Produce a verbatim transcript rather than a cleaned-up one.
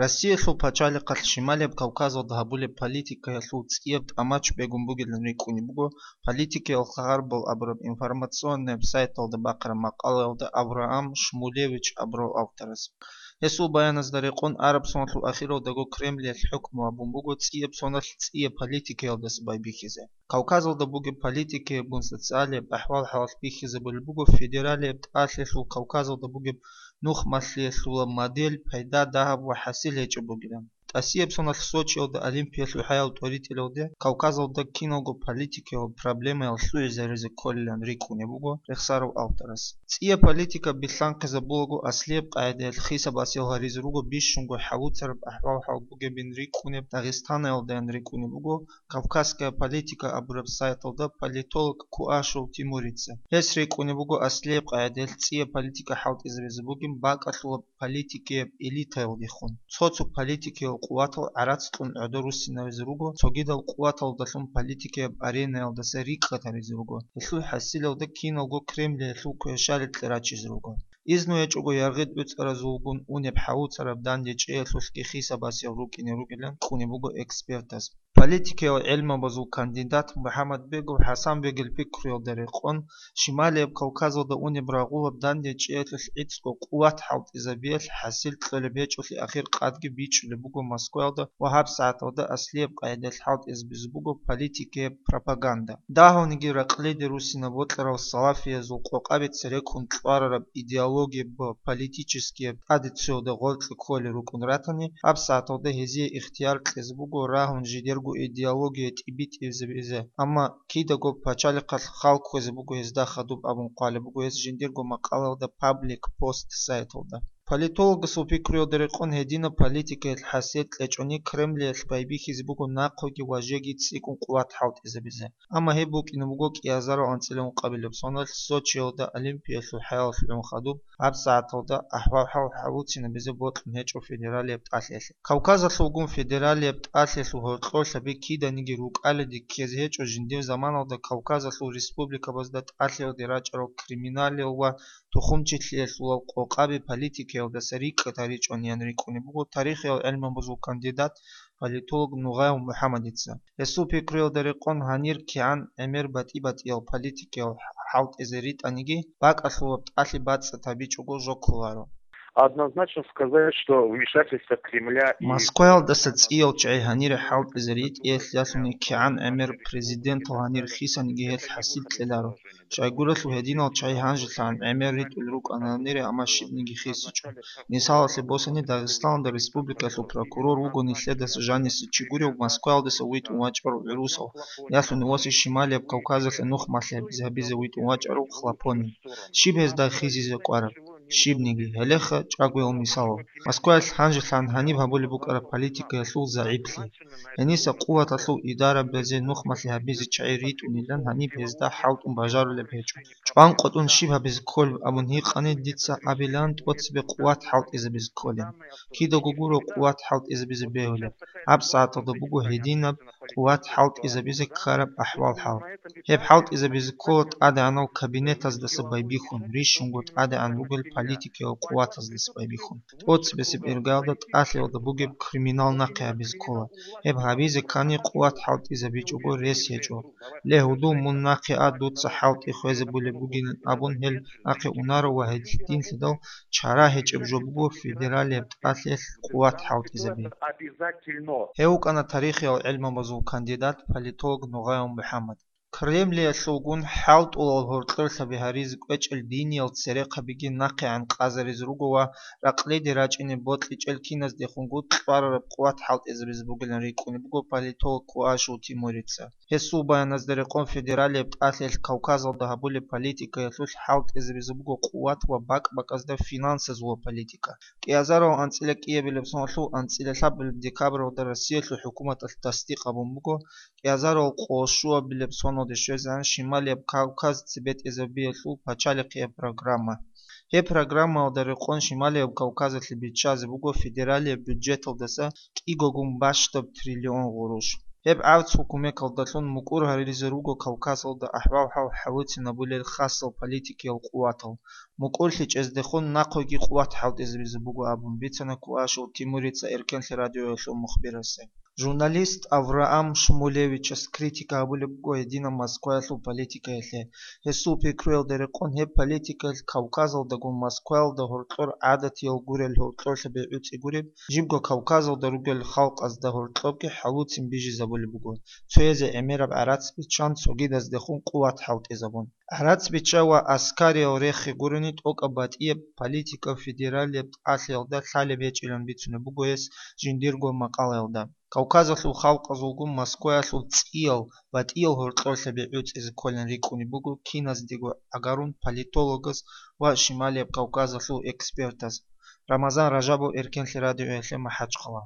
Россиялъул пачалихъалъ Шималияб Кавказалда гьабулеб политикаялъул цӀияб тӀамач бегун бугилан рикӀкӀунеб буго политикиял хабар абураб информационный сайталда бахъараб макъалаялда Авраам Шмулевич абурав авторас. Гьесул баяназда рекъон, араб соналъул ахиралдаго Кремлиялъ хӀукму гьабун буго цӀияб соналъ цӀияб политикаялдаса байбихьизе. Кавказалда бугеб политикияб гун социалияб ахӀвал-хӀалалъ бихьизабулеб буго федералияб тӀалъиялъул Кавказалда бугеб нухмалъиялъула модель, пайда, дагьаб ва хӀасил гьечӀеб бугилан. ТӀасияб соналъ Сочиялда Олимпиялъул хӀаял тӀоритӀелалде Кавказалда киналго политикиял проблемаял лъугӀизаризе кколилан рикӀкӀунеб буго рехсарав авторас. ЦӀияб политика билълъанхъизабулаго аслияб къагӀидаялъ хисаб-гьасиял гьаризе руго бищунго хӀалуцараб ахӀвал-хӀал бугебин рикӀкӀунеб, Дагъистанаялдаян рикӀкӀунеб буго «Кавказская политика» абураб сайталда политолог Куашев Тимурица. Гьес рикӀкӀунеб буго аслияб къагӀидаялъ цӀияб политика хӀалтӀизабизе бугеб бакӀалъулаб политикияб элитаялдехун. Цо-цо политикиял къуватал гӀарац кьун гӀодор руссинаризе руго, цогидал къуваталдалъун политикияб аренаялдаса рикӀкӀад гьаризе руго. Гьелъул хӀасилалда киналго Кремлиялъул квешали кьерачизе руго. Изну гьечӀого яргъи-дӀуцӀаразулгун унеб хӀалуцараб данде чӀеялъулъги хисаб-гьасиял рукӀине ругилан ккунеб буго экспертаз. Политикиял гӀелмабазул кандидат МухӀаммадбегов ХӀасанбегил пикруялда рекъон, Шималияб Кавказалда унеб рагъулаб данде чӀеялъулъ гӀицӀго къуват хӀалтӀизабиялъ хӀасил кьолеб гьечӀолъи ахир къадги бичӀчӀулеб буго Москваялда ва гьабсагӀаталда аслияб къагӀидаялъ хӀалтӀизабизе буго политикияб пропаганда. Дагьавниги ракълиде руссинаб бокьарал салафиязул къокъаби цереккун кьварараб идеологияб ва политическияб традициялда гъоркье кколел рукӀун ратани, гьабсагӀаталда гьезие ихтияр кьезе буго рагьун жидерго идеология тӀибитӀизабизе, амма кидаго пачалихъалъ хал кквезе буго гьезда хадуб абун хъвалеб буго гьес жиндирго макъалаялда Паблик Пост сайталда. Политологасул пикруялда рекъон, гьединаб политикаялъ хӀасил кьечӀони Кремлиялъ байбихьизе буго нахъеги ва жеги цӀикӀкӀун къуват хӀалтӀизабизе. Амма гьеб букӀине буго кӀиазарал анцӀила ункъабилеб соналъ Сочиялда Олимпиялъул хӀаялалъ гӀун хадуб гьабсагӀаталда ахӀвал-хӀал хӀалуцинабизе бокьун гьечӀо федералияб тӀалъиялъе. Кавказалъулгун федералияб тӀалъиялъул гьоркьорлъаби киданиги рукӀалиде ккезе гьечӀо жиндир заманалда Кавказалъул республикабазда тӀалъиялде рачӀарал криминалиял ва тухумчилъиялъулал къокъаби политикаялдаса рикӀкӀад гьаричӀониян рикӀкӀунеб буго тарихиял гӀелмабазул кандидат, политолог Нугъаев МухӀаммадица. Гьесул пикруялда рекъон, гьанир кигӀан гӀемер батӀи-батӀиял политикиял хӀалтӀизе ритӀаниги, бакӀалъулаб тӀалъи бацӀцӀад гьабичӀого жо кколаро. Однозначно сказать, что вмешательство Кремля и Москваялдаса цӀиял чагӀи гьанире хӀалтӀизе ритӀиялъ ялъуни кигӀан гӀемер президентал гьанир хисаниги гьелъ хӀасил кьеларо. Щайгурелъул гьединал чагӀи гьанжелъагӀан гӀемер ритӀулел рукӀана гьанире, амма щибниги хисичӀо. Мисалалъе босани, Дагъистаналда республикалъул прокурор вуго нилъедаса жанисе чи гурев Москваялдаса витӀун вачӀарав гӀурусав, ялъуни ва Шималияб Кавказалъе нухмалъи гьабизе витӀун вачӀарав Хлопонин. Щиб гьезда хизизе кӀвараб? Щибниги, гьелеха чӀагоял мисалал. Москваялъ гьанжелъан гьаниб гьабулеб букӀараб политикаялъул загӀиплъи. Гьениса къуваталъул идарабазе нухмалъи гьабизе чагӀи ритӀунилан гьаниб гьезда хӀалтӀун бажарулеб гьечӀо. ЧӀванкъотӀун щиб гьабизе кколеб абун гьикъани, дица абилан тӀоцебе къуват хӀалтӀизабизе кколин. Кидаго гуро къуват хӀалтӀизабизе бегьулеб. ГьабсагӀаталда буго гьединаб къуват хӀалтӀизабизе ккараб ахӀвал-хӀал. Гьеб хӀалтӀизабизе ккола тӀадегӀанал кабинетаздаса байбихьун, рищунго тӀадегӀан ругел политикиял къуватаздаса байбихьун. ТӀоцебесеб иргаялда тӀалъиялда бугеб криминал нахъе гьабизе ккола. Гьеб гьабизе ккани къуват хӀалтӀизабичӀого рес гьечӀо. Ле, гьудул, мун нахъе а, дуца хӀалтӀи хвезабулеб бугилан абун гьел нахъе унаро ва гьединлъидал чара гьечӀеб жо буго федералияб тӀалъиялъ къуват хӀалтӀизаби. Гьев вукӀана тарихиял гӀелмабазул кандидат, политолог Нугъаев МухӀаммад. Кремлиялъулгун хӀалтӀулал гьоркьорлъаби гьаризе кӀвечӀел диниял церехъабиги нахъегӀан къазаризе руго ва ракълиде рачӀине бокьичӀел киназдехунгут кьварараб къуват хӀалтӀизабизе бугилан рикӀкӀунеб буго политолог Куашев Тимурица. Гьесул баяназда рекъон, федералияб тӀалъиялъ Кавказалда гьабулеб политикаялъулъ хӀалтӀизабизе буго къуват ва бакӀ-бакӀазда финансазула политика. КӀиазарал анцӀила кӀиабилеб соналъул анцӀила лъабабилеб декабралда Россиялъул хӀукуматалъ тасдикъ гьабун буго кӀиазарал къолъ щуабилеб соналде щвезегӀан Шималияб Кавказ цебетӀезабиялъул пачалихъияб программа. Гьеб программаялда рекъон Шималияб Кавказалъе биччазе буго федералияб бюджеталдаса кӀигогун бащдаб триллион гъурущ. Гьеб гӀарц-хӀукумекалдалъун мукӀур гьаризе руго Кавказалда ахӀвал-хӀал хӀалуцинабулел хасал политикиял къуватал. МукӀурлъи чӀездехун нахъеги къуват хӀалтӀизабизе буго абун бицана Куашев Тимурица Эркенлъи радиоялъул мухбирасе. Журналист Авраам Шмулевичас критика гьабулеб буго гьединаб Москваялъул политикаялъе. Гьесул пикруялда рекъон, гьеб политикаялъ Кавказалдаго Москваялда гьоркьор гӀадатиял гурел гьоркьорлъа бегӀуцӀи гуреб, жибго Кавказалда ругел халкъазда гьоркьобги хӀалуцин бижизабулеб буго, цоязе гӀемераб гӀарац биччан, цогидаздехун къуват хӀалтӀизабун. ГӀарац бичча ва аскариял рехи гурони тӀокӀаб батӀияб политика федералияб тӀалъиялда лъалеб гьечӀилан бицунеб буго гьес жиндирго макъалаялда. Кавказалъул халкъазулгун Москваялъул цӀиял батӀиял гьоркьорлъа бегӀуцӀизе кколин рикӀкӀунеб буго киназдего гӀагарун политологас ва Шималияб Кавказалъул экспертас. Рамазан Ражабов, Эркенлъи радиоялъе МахӀачхъала.